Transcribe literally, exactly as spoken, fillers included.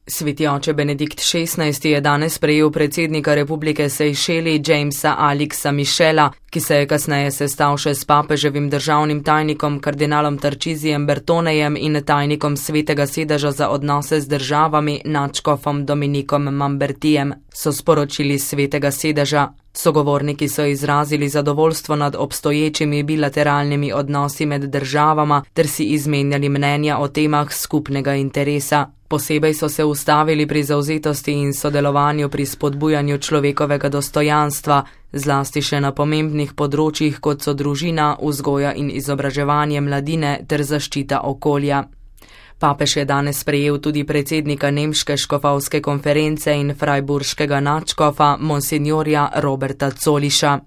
Sveti oče Benedikt šestnajsti je danes prejel predsednika Republike Sejšeli Jamesa Alixa Michela, ki se je kasneje sestal še s papeževim državnim tajnikom kardinalom Tarcisijem Bertonejem in tajnikom Svetega sedeža za odnose z državami nadškofom Dominikom Mambertijem, so sporočili s Svetega sedeža. Sogovorniki so izrazili zadovoljstvo nad obstoječimi bilateralnimi odnosi med državama ter si izmenjali mnenja o temah skupnega interesa. Posebej so se ustavili pri zavzetosti in sodelovanju pri spodbujanju človekovega dostojanstva, zlasti še na pomembnih področjih, kot so družina, vzgoja in izobraževanje mladine ter zaščita okolja. Papež je danes sprejel tudi predsednika Nemške škofovske konference in frajburškega nadškofa, monsinjorja Roberta Zoliša.